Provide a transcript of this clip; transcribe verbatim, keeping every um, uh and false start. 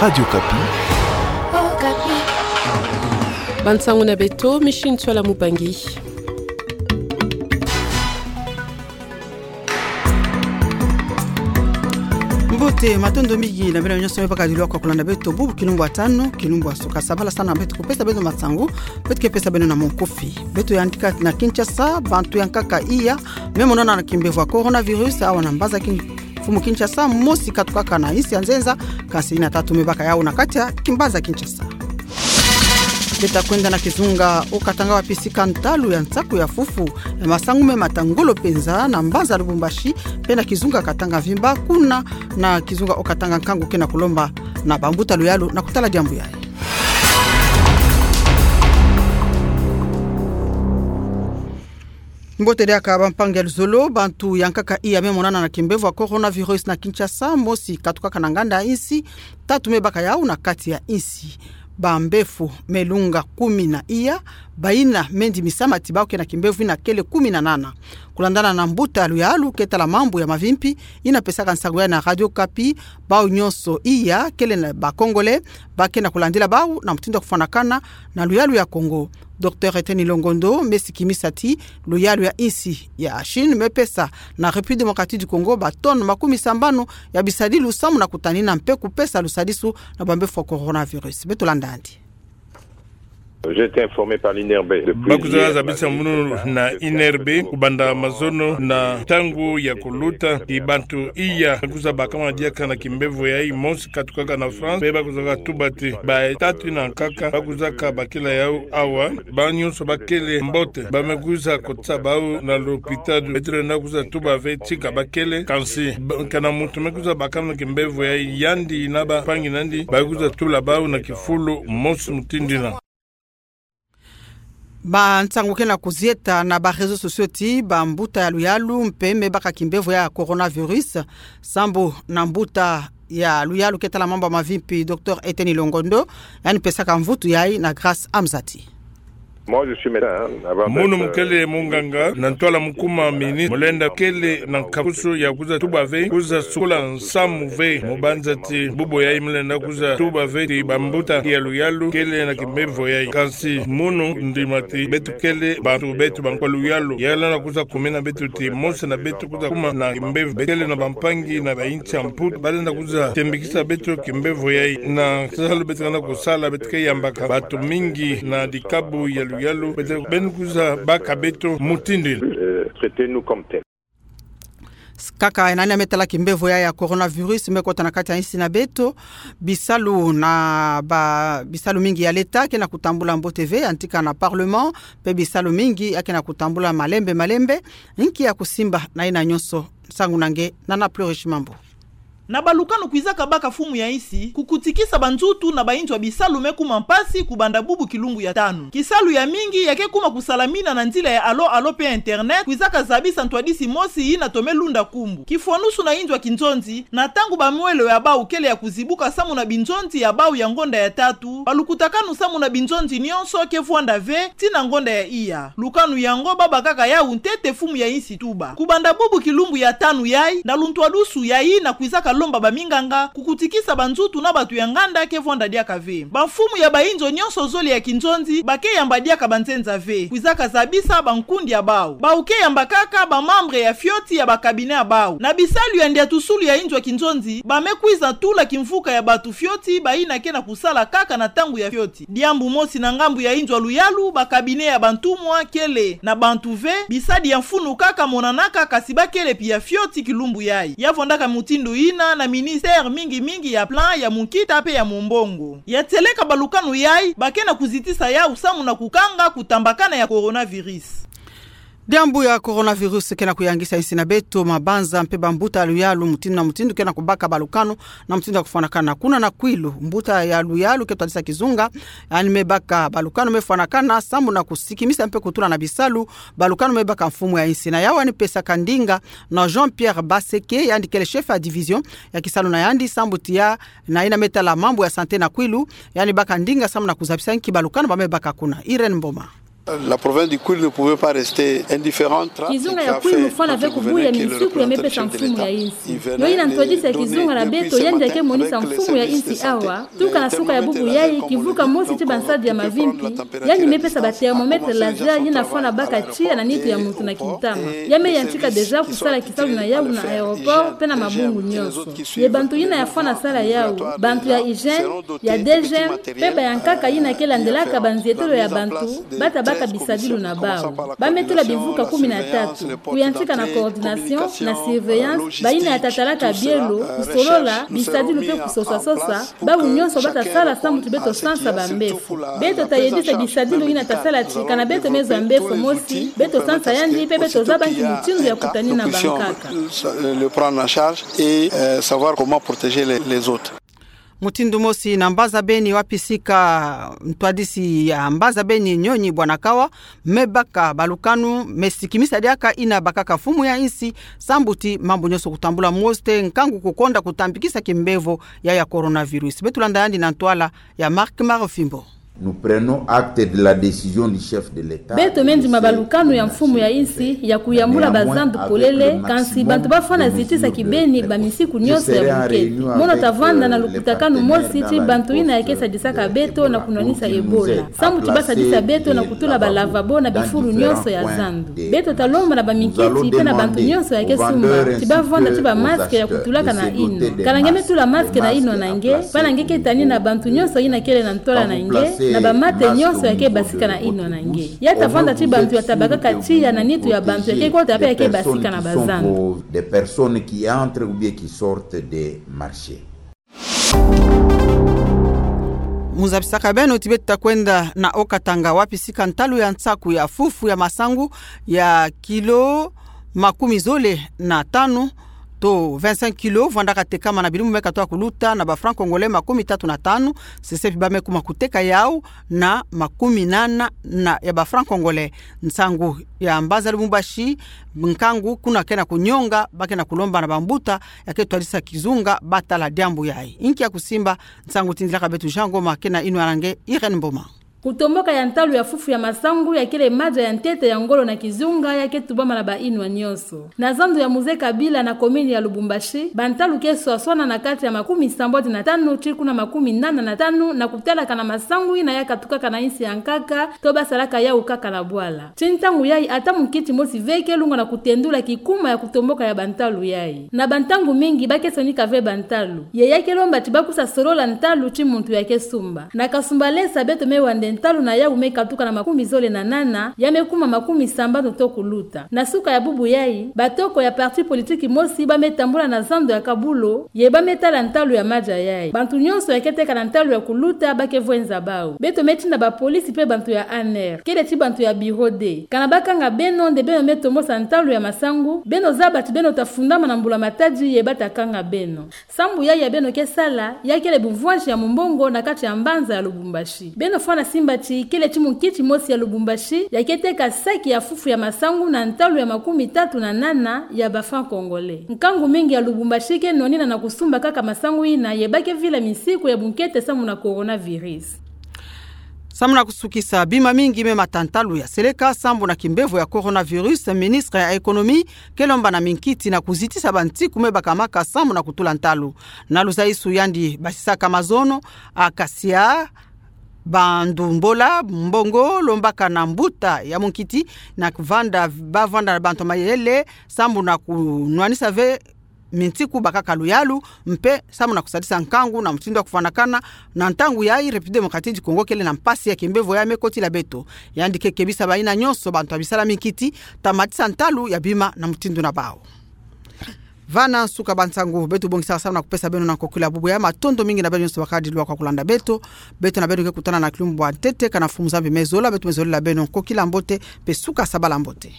Radio Okapi. Bansangu na beto, Micheline Ntsoila Mubangi. Mbote, matondo mingi na beno nyonso me baka dilwa kwa kulanda beto bubu kilumbu ya tanu, kilumbu ya suka. Sabala sana beto kupesa beno masangu, beto ke pesa beno na monkufi. Beto yandika na Kinshasa, bantu ya nkaka iya me monana na kimbevo ya coronavirus, awa na mbanza kin- mfumu Kinshasa, mosi katukaka na insi ya nzenza, kansi ina tatu me baka yawu na kati ya kimbanza Kinshasa. Beto ta kwenda na kizunga o Katanga, wapi sika ntalu ya nsaku ya fufu ya masangu me mata ngolo penza na mbanza Lubumbashi, pe na kizunga Katanga mvimba, kuna na kizunga o Katanga nkangu ke na kulomba na bambuta luyalu na kutala diambu yayi. Mbote diaka bampangi ya luzolo, bantu ya nkaka iya me monana na kimbevo ya coronavirus na Kinshasa, mosi katukaka na nganda ya insi, tatu me baka yawu na kati ya insi. Bambefo me lunga kumi na iya, bayina me ndimisa mati bawu ke na kimbevo ina kele kumi na nana. Kulandana na mbuta luyalu ke tala mambu ya mavimpi, ina pesaka nsangu yayi na Radio Okapi, bawu nyonso iya kele na ba Congolais, ba ke na kulandila bawu na mutindu ya kufwanakana na luyalu ya Congo. Docteur Etienne Longondo me sikimisa ti luyalu ya insi ya Chine me pesa na République Démocratique du Congo ba tonnes makumi sambanu ya bisadilu samu na kutanina mpe kupesa lusadisu na bambefo ya coronavirus. Beto landa yandi. J'ai été informé par l'I N R B depuis hier. Ba kwiza zabisa munu na I N R B kubanda mazono na ntangu ya kuluta, ti bantu iya kwiza bakama diaka na kimbevo yayi, mosi katukaka na France, pe ba kwiza katuba ti batatu na nkaka ba kwiza kabakila yawu awa, bawu nyonso bakele mbote, ba me kwiza kotisa bawu na lopitalu. Beto lenda kwiza tuba ve ti ka bakele, kansi ba-, kana muntu me kwiza bakama na kimbevo yayi, yandi na bampangi na yandi, ba kwiza tula bawu na kifulu mosi mutindu ina. Bansangu ke na kuzieta na ba réseaux sociaux ti bambuta ya luyalu mpe me baka kimbevo ya coronavirus, sambu na mbuta ya luyalu ke tala mambu ya mavimpi, Docteur Etienne Longondo, yandi pesaka mvutu yayi na Grâce Amzati. Moi, je suis médecin, hein, avant d'être, euh, ministre. Munu mu kele munganga, na ntwala mu kuma ministre, mu lenda kele na nkakusu ya kwiza tuba ve, kwiza sukula nsamu ve, mu banza ti bubu yayi mu lenda kwiza tuba ve ti bambuta ya luyalu kele na kimbevo yayi. Kansi munu ndima ti beto kele bantu beto bankwa luyalu. Ya lenda kwiza kumina beto ti mosi na beto kwiza kuma na kimbevo. Beto kele na bampangi na ba insi ya Mputu, ba lenda kwiza tembikisa beto kimbevo yayi. Na salu beto ke na kusala, beto ke yambaka bantu mingi na dikabu ya luyalu, beto, beno kwiza baka beto mutindu ina. Euh, traitez-nous comme tels. Kaka ena ina me tala kimbevo yayi ya coronavirus me kota na kati ya insi na beto, bisalu na ba, bisalu mingi ya leta ke na kutambula mbote ve, yantika na parlement, mpe bisalu mingi ya ke na kutambula malembe malembe. Nki ya kusimba na ina nyonso? Nsangu na nge na Nana Plurish Mambu. Na balukanu kwizaka baka mfumu ya insi, kukutikisa banzutu na bainzo ya bisalu me kuma mpasi kubanda bubu kilumbu ya tanu. Kisalu ya mingi ya ke kuma kusalamina na nzila ya alo alo mpe internet, kwizaka zabisa ntwadisi mosi yina tome lunda nkumbu. Kifwanusu na inzo ya kinzonzi, na ntangu bamwelo ya bau kele ya kuzibuka samu na binzonzi ya bau ya ngonda ya tatu, balukutakanu samu na binzonzi nyonso ke vwanda ve, tii na ngonda ya iya. Lukanu yango ba bakaka yau ntete mfumu ya insi tuba. Kubanda bubu kilumbu ya tanu yayi, na luntwadusu yayi na kwizaka lomba baminganga, kukutikisa banzutu na bantu ya nganda ke vwanda diaka ve. Bamfumu ya bainzo nyonso zole ya kinzonzi, ba ke yamba diaka banzenza ve. Kwizaka zabisa bankundi ya bau. Bau ke yamba kaka bamembre ya fioti ya ba cabinet ya bau. Na bisalu ya ndiatusulu ya inzo ya kinzonzi, ba me kwiza tula kimvuka ya bantu fioti, bayina ke na kusala kaka na ntangu ya fioti. Diambu mosi na ngambu ya inzo ya luyalu, ba cabinet ya bantumwa kele na bantu ve, bisadi ya mfunu kaka monanaka, kasi ba kele mpi ya fioti kilumbu yayi. Ya vwandaka mutindu yina na ministère mingi mingi ya plan, ya munkita mpe ya mumbongo. Ya tieleka balukanu yayi, ba ke na kuzitisa yau samu na kukanga kutambakana ya coronavirus. Diambu ya coronavirus ke na kuyangisa insi na beto, mabanza mpe bambuta ya luyalu mutindu na mutindu ke na kubaka balukanu na mutindu ya kufwanakana. Kuna na Kwilu, mbuta ya luyalu ke twadisa kizunga, yandi me baka balukanu me fwanakana samu na kusikimisa mpe kutula na bisalu balukanu me baka mfumu ya insi. Na yau yandi pesaka ndinga na Jean-Pierre Baseke, yandi kele chef ya division ya kisalu na yandi sambu tii ya, na yina me tala mambu ya santé na Kwilu, yandi baka ndinga samu na kuzabisa nki balukanu ba me baka kuna. Irène Mboma. La province du Kwilu ne pouvait pas rester indifférente. Kizunga ya Kwilu fwana ve kubuya misiku ya mepesa mfumu ya insi. Yo ina ntwadisi ya kizunga na beto yandi yake monisa mfumu ya insi awa, tuka na suka ya bubu yayi, kivuka mosi ti bansadi ya mavimpi, yandi mepesa ba thermomètre laser yina fwana baka tiya na nitu ya muntu na kintama. Ya me yantika déjà kusala kisalu na yawu na aéroport pe na mabungu nyonso. Ye bantu yina ya fwana sala yawu, bantu ya hygiène, ya DGM, pe ba yankaka yina ke landelaka banzietelo ya bantu, bata baka bisadilu na bawu. Ba me tula bivuka kumi na tatu, kuyantika na coordination, na surveillance, ba yina ya tatalaka bielo, kusolola, bisadilu pe kusoswasosa, bawu nyonso bata sala sambu ti beto sansa bambefo. Beto ta yedisa bisadilu yina ta sala ti kana beto me zwa mbefo mosi, beto sansa yandi pe beto zaba nki mutindu ya kutani na bankaka. Le prendre en charge et, euh, savoir comment protéger les, les autres. Mutindu mosi na mbaza beni wapi sika ntwadisi ya mbaza beni Nyonyi Bwanakawa, me baka balukanu, me sikimisa diaka yina bakaka mfumu ya insi, sambu ti mambu nyonso kutambula mosi te, nkangu kukonda kutambikisa kimbevo ya ya coronavirus. Beto landa yandi na ntwala ya Marc Marofimbo. Nous prenons acte de la décision du chef de l'État. Beto me ndima balukanu ya mfumu ya insi ya kuyambula bazandu polele, kansi bantu ba fwana zitisa kibeni ba misiku nyonso ya bunkete. Mono ta vanda na lukutakanu mosi ti bantu yina ya ke sadisaka beto na kunwanisa Ebola, sambu ti ba sadisa beto na kutula ba lavabo na bifulu nyonso ya zandu. Beto ta lomba na baminkiti pe na bantu nyonso ya ke sumba ti ba vanda ti ba masque ya kutulaka na inwa. Kana nge me tula masque na inwa na nge, bana nge ke tani na bantu nyonso yina kele na ntwala na nge, na bamate nyonso ya ke basika na inwa na nge. Ya ta vanda ti bantu ya ta bakaka tiya na nitu ya bantu ya ke kota pe ya ke basika na bazandu. Des personnes qui entrent ou bien qui sortent des marchés. Mu zabisaka beno ti beto ta kwenda na Haut-Katanga wapi sika ntalu ya nsaku ya fufu ya masangu ya kilo makumi zole na tanu, to vingt-cinq kilos, vwandaka tekama na bilumbu me katoka kuluta na ba francs congolais makumi tatu na tanu, sesepi ba me kuma kuteka yawu na makumi nana na ya ba francs congolais. Nsangu ya mbaza Lubumbashi, nkangu kuna ke na kunyonga, ba ke na kulomba na bambuta ya ke twadisa kizunga ba tala diambu yayi. Inki ya kusimba? Nsangu tindilaka beto Jean Ngoma, ke na inwa na nge Irène Mboma. Kutomboka ya ntalu ya fufu ya masangu ya kele madia ya ntete ya ngolo na kizunga ya ke tubama na ba inwa nyonso. Na zandu ya Mzee Kabila na commune ya Lubumbashi, bantalu ke swaswana na kati ya makumi sambwadi na tanu ti kuna makumi nana na tanu na kutalaka na masangu yina ya katukaka na insi ya nkaka, to ba salaka yawu kaka na bwala. Ti ntangu yayi ata munkiti mosi ve ke lungwa na kutendula kikuma ya kutomboka ya bantalu yayi. Na bantangu mingi ba ke sonika ve bantalu. Ye ya ke lomba ti ba kusa solola ntalu ti muntu ya ke sumba. Na Kasumbalesa beto me wande ntalu na yawu me katuka na makumi zole na nana, ya me kuma makumi sambanu to kuluta. Na suka ya bubu yayi, batoko ya parti politique mosi ba me tambula na zandu ya Kabulo, ye ba me tala ntalu ya madia yayi. Bantu nyonso ya ke teka na ntalu ya kuluta ba ke vwenza bawu. Beto me tinda bapolisi pe bantu ya A N R, kele ti bantu ya bureau de. Kana ba kanga beno nde beno me tombosa ntalu ya masangu, beno zaba ti beno ta fundama na mbula-matadi ye ba ta kanga beno. Sambu yayi ya beno ke sala, ya kele bumvwansi ya mumbongo na kati ya mbanza ya Lubumbashi. Beno fwana simba ti kele ti munkiti mosi ya Lubumbashi ya ke teka saki ya fufu ya masangu na ntalu ya makumi tatu na nana ya ba francs congolais. Nkangu mingi ya Lubumbashi ke nwanina na kusumba kaka masangu yina ye ba ke vila misiku ya bunkete sambu na coronavirus. Sambu na kusukisa, bima mingi me mata ntalu ya seleka sambu na kimbevo ya coronavirus, ministre ya économie ke lomba na minkiti na kuzitisa bansiku me bakamaka sambu na kutula ntalu. Na luzaisu yandi basisaka mazono, akasia, bandu mbola, mbongo, lombaka na mbuta ya munkiti, na kuvanda, ba vanda na bantu mayele, sambu na kunwanisa ve minsiku bakaka luyalu, mpe sambu na kusadisa nkangu na mutindu ya kuvwanakana. Na ntangu yayi République Démocratique du Congo kele na mpasi ya kimbevo ya me kotila beto. Yandi ke kebisa bayina nyonso bantu ya bisala minkiti ta matisa ntalu ya bima na mutindu na bawu. Vana nsuka bansangu beto bongisaka sambu na kupesa beno na nkokila bubu yayi. Matondo mingi na beno nyonso bakadi lwa kwa kulanda beto. Beto na beno ke kutana na kilumbu ya ntete, kana Mfumu Nzambi me zola, beto me zolila beno nkokila mbote, mpe suka sabala mbote.